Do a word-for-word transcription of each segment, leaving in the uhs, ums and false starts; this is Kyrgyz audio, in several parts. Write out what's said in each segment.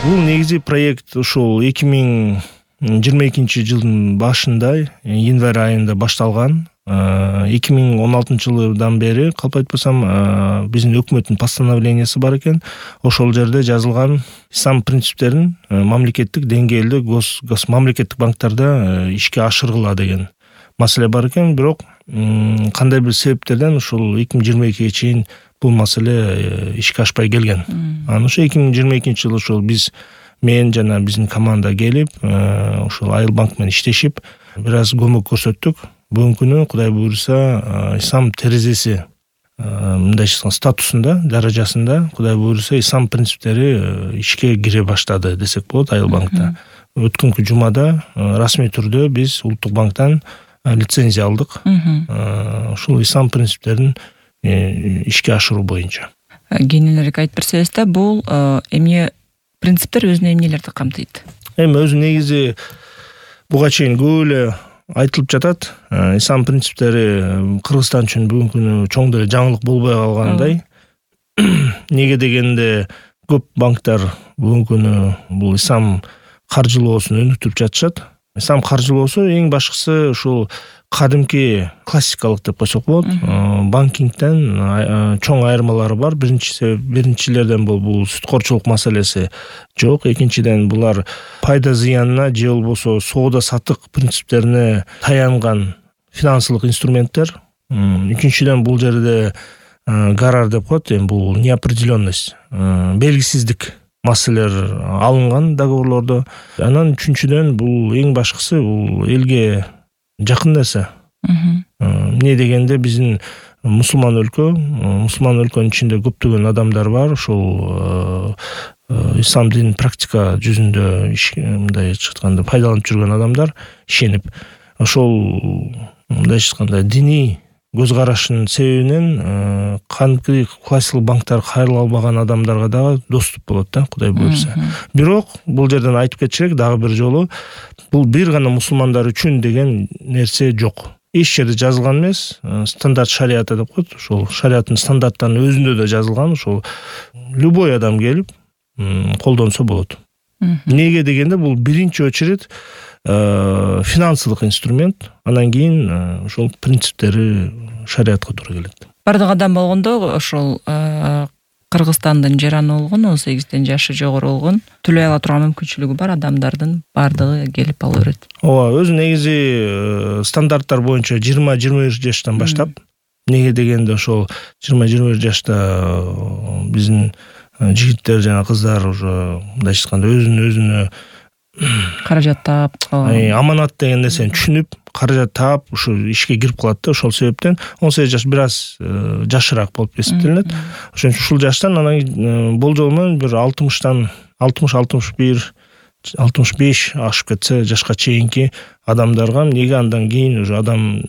Бул негизи проект ушул эки миң жыйырма экинчи жылдын башында, январь айында башталган. эки миң он алтынчы жылдан бери калп айтпасам биздин өкмөттүн постановлениясы бар экен. Ошол жерде жазылган ислам принциптерин мамлекеттик деңгээлде гос гос мамлекеттик банктарда ишке ашыргыла деген маселе бар экен. Бирок кандай бир себептерден ушул эки миң жыйырма экиге чейин бул маселе ишке ашпай келген. Анан ошо эки миң жыйырма экинчи жылы ошол биз мен жана биздин команда келип, ошол Айыл банк менен иштешип, бир аз көмөк көрсөттүк. Бүгүнкү күнү Кудай буйруса ислам терезеси мындай статусунда, даражасында Кудай буйруса ислам принциптери ишке кире баштады десек болот Айыл банкта. Өткөнкү жумада расмий түрдө биз Улуттук банктан лицензия алдык. Ушул ислам принциптерин ишке ашыруу боюнча. Кеңиерээк айтып берсеңиз да, бул эмне принциптер өзүнө эмнелерди камтыйт? Эми өзү негизи буга чейин көп эле айтылып жатат. Ислам принциптери Кыргызстан үчүн бүгүнкү күнү чоң деле жаңылык болбой калгандай. Неге дегенде көп банктар бүгүнкү күнү бул ислам каржылоосун өнүктүрүп жатышат. Ислам каржылоосу эң башкысы ушул кадимки классикалык деп койсок болот. Банкингден чоң айырмалары бар. Биринчиси биринчилерден бул бул сүткорчулук маселеси жок. Экинчиден булар пайда зыянына же болбосо соода сатык принциптерине таянган финансылык инструменттер. Үчүнчүдөн бул жерде гарар деп коет, эми бул неопределенность, белгисиздик маселелер алынган договорлордо. Анан үчүнчүдөн бул эң башкысы бул элге жакын нерсе. Эмне дегенде биздин мусулман өлкө, мусулман өлкөнүн ичинде көптөгөн адамдар бар. Ошол ислам динин практика жүзүндө мындай айтканда пайдаланып жүргөн адамдар ишенип, ошол мындай айтканда диний көз карашынын себебинен кандайкы классикалык банктар кайрыла албаган адамдарга дагы доступ болот да, Кудай буйруса. Бирок бул жерден айтып кетчүрек дагы бир жолу, бул бир гана мусулмандар үчүн деген нерсе жок. Эч жерде жазылган эмес. Стандарт шариаты деп коет. Ошол шариаттын стандарттарынын өзүндө да жазылган. Ошол любой адам келип колдонсо болот. Неге дегенде бул биринчи очередь финансылык инструмент, анан кийин ошол принциптери шариатка туура келет. Бардык адам болгондо ошол Кыргызстандын жараны болгон, он сегизден жашы жогору болгон, төлөй ала турган мүмкүнчүлүгү бар адамдардын бардыгы келип ала берет. Ооба, өзү негизи стандарттар боюнча жыйырма жыйырма бир жаштан баштап. Неге дегенде ошол жыйырма жыйырма бир жашта биздин жигиттер жана кыздар уже мындай айтканда өзүн өзүнө каражат таап, аманат деген нерсени түшүнүп, каражат таап, ушу ишке кирип калат да. Ошол себептен он сегиз жаш бир аз жашыраак болуп эсептелинет. Ошон үчүн ушул жаштан анан болжол менен бир алтымыштан алтымыш алтымыш бир алтымыш беш ашып кетсе жашка чейинки адамдарга, неге андан кийин уже адам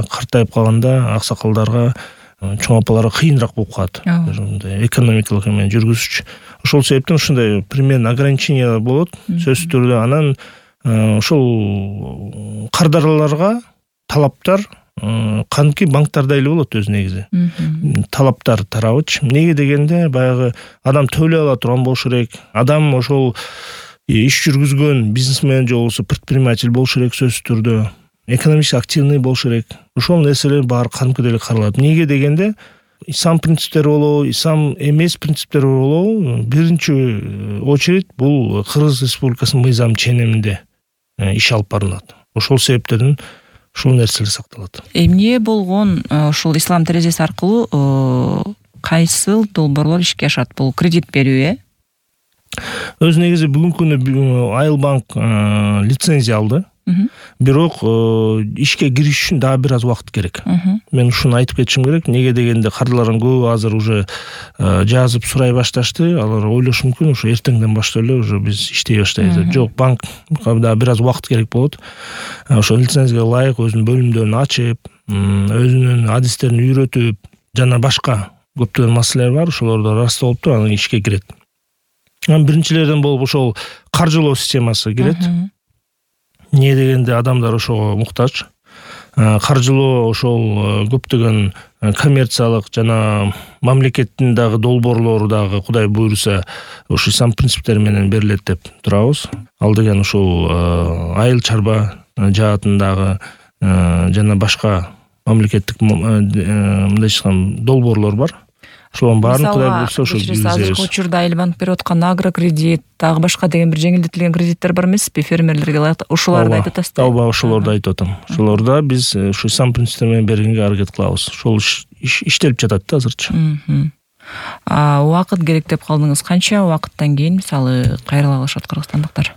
картайып калганда аксакалдарга, чоң апаларга кыйыныраак болуп калат. Мындай экономикалык эме жүргүзүчү. Ошол себептен ушундай примерно ограничениялар болот сөзсүз түрдө. Анан ошол кардараларга талаптар кандайкы банктарда эле болот өзү негизи. Талаптар тарабыч. Неге дегенде баягы адам төлөй ала турган болуш керек. Адам ошол иш жүргүзгөн бизнесмен же болбосо предприниматель болуш керек сөзсүз түрдө. Экономически активный болуш керек. Ошол нерселер баары кандайкы деле каралат. Неге дегенде ислам принциптери болобу, ислам эмес принциптери болобу, биринчи очередь бул Кыргыз Республикасынын мыйзам ченеминде иш алып барылат. Ошол себептерден ушул нерселер сакталат. Эмне болгон ушул ислам терезеси аркылуу кайсыл долбоорлор ишке ашат? Бул кредит берүү, э? Өзү негизи бүгүнкү күнү Айыл банк лицензия алды. Бирок ишке кириш үчүн дагы бир аз убакыт керек. Мен ушуну айтып кетишим керек. Неге дегенде кардарлардын көбү азыр уже жазып сурай башташты. Алар ойлошу мүмкүн, ушу эртеңден баштап эле уже биз иштей баштайбыз. Жок, банк дагы бир аз убакыт керек болот. Ошо лицензияга ылайык өзүнүн бөлүмдөрүн ачып, өзүнүн адистерин үйрөтүп, жана башка көптөгөн маселелер бар. Ошолорду ырасталып туруп анан ишке кирет. Анан биринчилерден болуп ошол каржылоо системасы кирет. Не дегенде адамдар ошого муктаж. каржылоо ошол көптөгөн коммерциялык жана мамлекеттин дагы долбоорлору дагы Кудай буйруса ушул ислам принциптери менен берилет деп турабыз. Ал деген ушул айыл чарба жаатындагы жана башка мамлекеттик мындайча айтканда долбоорлор бар. Ошолордун баарын Кудай буйруса ошол азыркы учурда Айыл банк берип аткан агрокредит, дагы башка деген бир жеңилдетилген кредиттер бар эмеспи фермерлерге ылайык? Ошолорду айтып атасызбы? Ооба, ошолорду айтып атам. Ошолорда биз ушу ислам принциптери менен бергенге аракет кылабыз. Ошол иштелип жатат да азырча. А убакыт керек деп калдыңыз. Канча убакыттан кийин мисалы кайрыла алышат кыргызстандыктар?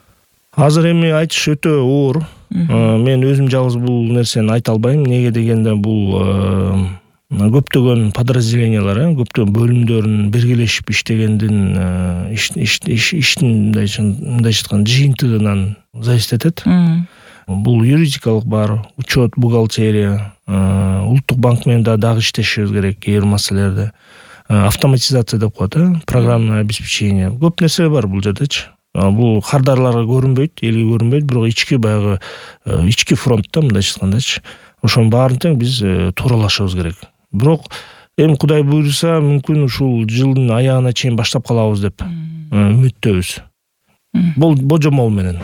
Азыр эми айтыш өтө оор. Мен өзүм жалгыз бул нерсени айта албайм. Неге дегенде бул көптөгөн подразделениялар, көптөгөн бөлүмдөрдүн биргелешип иштегендин иштин мындайча айтканда жыйынтыгынан зависит этет. Бул юридикалык бар, учет, бухгалтерия, улуттук банк менен дагы иштешибиз керек кээ бир маселелерде. Автоматизация деп коет, программное обеспечение. Көп нерсе бар бул жердечи. Бул кардарларга көрүнбөйт, элге көрүнбөйт, бирок ички баягы ички фронтта мындайча айткандачы. Ошонун баарын тең биз тууралашыбыз керек. Бирок эми Кудай буйруса мүмкүн ушул жылдын аягына чейин баштап калабыз деп үмүттөбүз. Бул божомол менен.